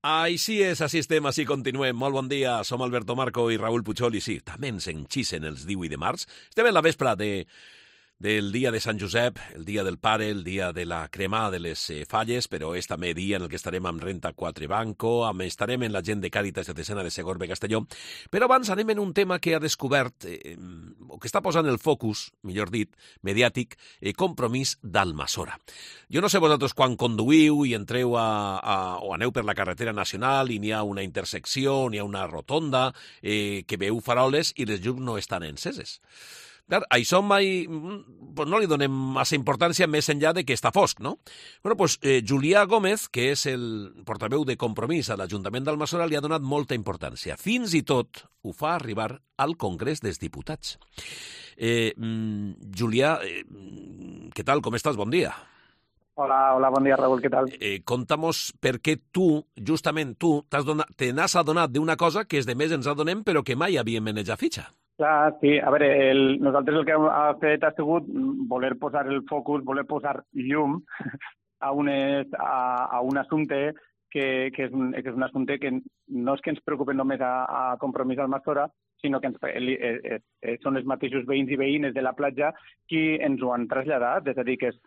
Així és, així estem, així continuem. Molt bon dia, som Alberto Marco i Raül Puigol, i sí, també ens enxisen els 18 de març. Estem en la vespra del dia de Sant Josep, el dia del pare, el dia de la cremada de les falles, però és també dia en el que estarem amb Renta 4 Banco, estarem en la gent de Càritas Diocesana de Segorbe Castelló. Però abans anem en un tema que ha descobert, o que està posant el focus, millor dit, mediàtic, Compromís d'Almassora. Jo no sé vosaltres quan conduïu i entreu o aneu per la carretera nacional i n'hi ha una intersecció, n'hi ha una rotonda, que veu faroles i les llums no estan enceses. Clar, això mai no li donem massa importància més enllà de que està fosc, no? Bueno, doncs Julià Gómez, que és el portaveu de Compromís a l'Ajuntament d'Almassora, li ha donat molta importància. Fins i tot ho fa arribar al Congrés dels Diputats. Julià, què tal? Com estàs? Bon dia. Hola, bon dia, Raül, què tal? Conta'mos per què justament tu, te n'has adonat d'una cosa que els demés ens adonem però que mai havíem menjat fitxa. Clar, sí. A veure, nosaltres el que hem fet ha sigut voler posar el focus, voler posar llum a un assumpte que és un assumpte que no és que ens preocupi només a Compromís d'Almassora, sinó que són els mateixos veïns i veïnes de la platja qui ens ho han traslladat. És a dir, que és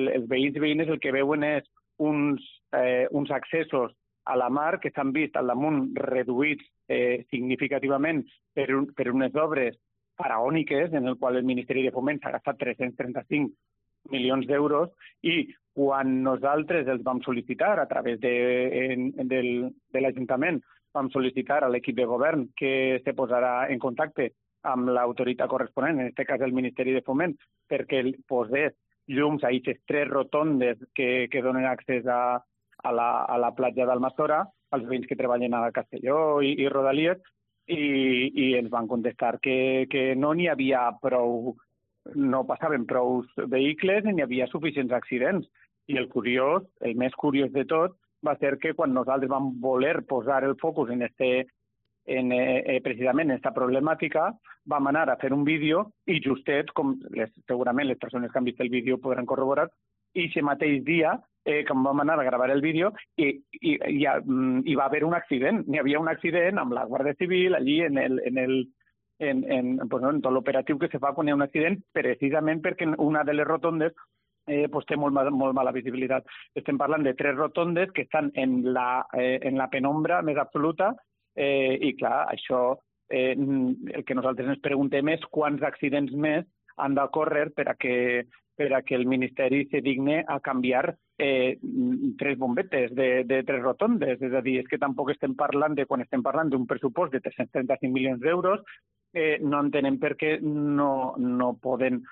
els veïns i veïnes el que veuen és uns accessos a la mar que s'han vist al damunt reduïts significativament per unes obres faraòniques en el qual el Ministeri de Foment s'ha gastat 335 milions d'euros, i quan nosaltres els vam sol·licitar a través de l'Ajuntament, vam sol·licitar a l'equip de govern que se posarà en contacte amb l'autoritat corresponent, en aquest cas el Ministeri de Foment, perquè posés llums a aquestes 3 rotondes que donen accés a la platja d'Almassora, els veïns que treballen a Castelló i Rodalies, i ens van contestar que no n'hi havia prou, no passaven prou vehicles ni n'hi havia suficients accidents. I el més curiós de tot, va ser que quan nosaltres vam voler posar el focus precisament en aquesta problemàtica, vam anar a fer un vídeo i justet, com segurament les persones que han vist el vídeo podran corroborar, i aquest mateix dia que vam anar a gravar el vídeo i va haver un accident. N'hi havia un accident amb la Guàrdia Civil allí en tot l'operatiu que se fa quan hi ha un accident, precisament perquè una de les rotondes té molt mala visibilitat. Estem parlant de 3 rotondes que estan en la penombra més absoluta, i clar, això el que nosaltres ens preguntem és quants accidents més han d'ocórrer per a que el Ministeri se digne a canviar 3 bombetes de 3 rotondes. És a dir, és que tampoc estem parlant quan estem parlant d'un pressupost de 335 milions d'euros, no entenem per què no poden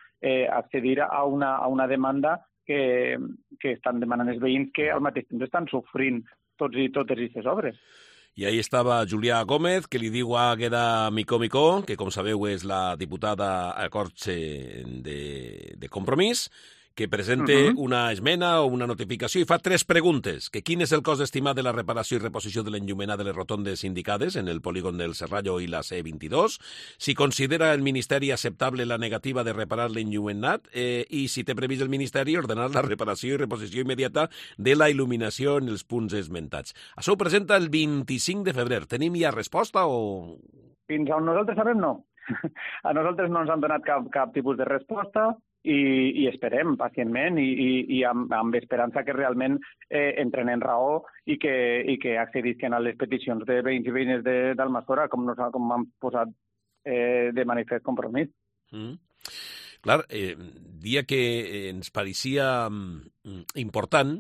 accedir a una demanda que estan demanant els veïns, que al mateix temps estan sofrint tots i totes aquestes obres. I ahí estava Julià Gómez, que li diu a Águeda Micó, que com sabeu és la diputada a Corts de Compromís, que presenta una esmena o una notificació i fa 3 preguntes. Que quin és el cost estimat de la reparació i reposició de l'enllumenat de les rotondes indicades en el polígon del Serrallo i la C22, si considera el Ministeri acceptable la negativa de reparar l'enllumenat, i si té previst el Ministeri ordenar la reparació i reposició immediata de la il·luminació en els punts esmentats. Això ho presenta el 25 de febrer. Tenim ja resposta o...? Fins on nosaltres sabem, no. A nosaltres no ens han donat cap tipus de resposta, i esperem pacientment i amb esperança que realment entren en raó i que accedisquen a les peticions de veïns i veïnes d'Almassora, com han posat de manifest Compromís. Clar, dia que ens pareixia important,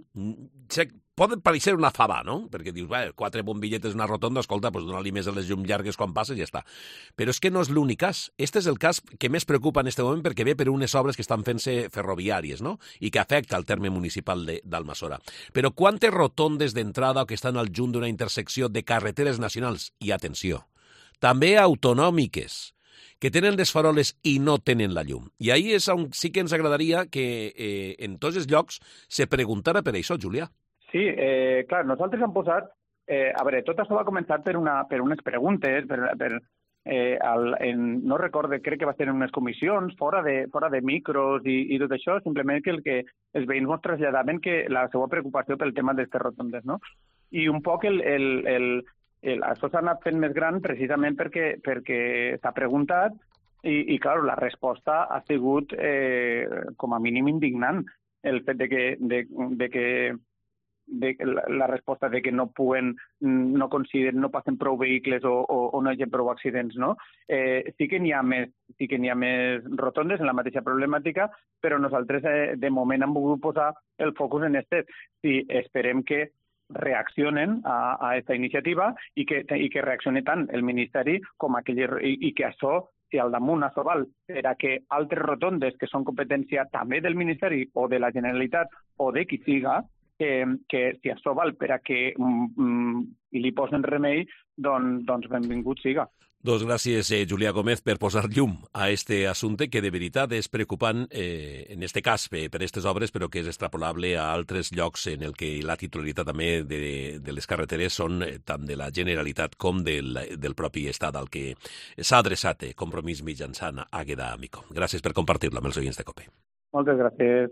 pot parecer una fava, no? Perquè dius, 4 bombilletes en una rotonda, escolta, doncs donar-li més a les llums llargues quan passes i ja està. Però és que no és l'únic cas. Este és el cas que més preocupa en aquest moment perquè ve per unes obres que estan fent-se ferroviàries, no? I que afecta el terme municipal d'Almassora. Però quantes rotondes d'entrada que estan al junt d'una intersecció de carreteres nacionals, i atenció, també autonòmiques, que tenen les faroles i no tenen la llum. I ahí és on sí que ens agradaria que en tots els llocs se preguntara per això, Julià. Sí, clar, nosaltres hem posat... a veure, tot això va començar per unes preguntes, per no recorde, crec que va ser en unes comissions, fora de micros i tot això, simplement que els veïns ens traslladaven que la seva preocupació pel tema d'aquestes rotondes, no? I un poc això s'ha anat fent més gran precisament perquè s'ha preguntat i clar, la resposta ha sigut com a mínim indignant. El fet de que la resposta de que no consideren, no passen prou vehicles o no hi ha prou accidents, no? Sí que n'hi ha més rotondes en la mateixa problemàtica, però nosaltres de moment hem volgut posar el focus en Si esperem que reaccionen a aquesta iniciativa i que reaccioni tant el Ministeri com i que això, si al damunt això val per a que altres rotondes que són competència també del Ministeri o de la Generalitat o de qui siga, que si això val per a que li posen remei, doncs benvingut siga. Doncs gràcies, Julià Gómez, per posar llum a este assumpte que de veritat és preocupant, en este cas per aquestes obres, però que és extrapolable a altres llocs en el que la titularitat també de les carreteres són tant de la Generalitat com del propi Estat, al que s'ha adreçat Compromís mitjançant Àgueda Micó. Gràcies per compartir-lo amb els oients de COPE. Moltes gràcies.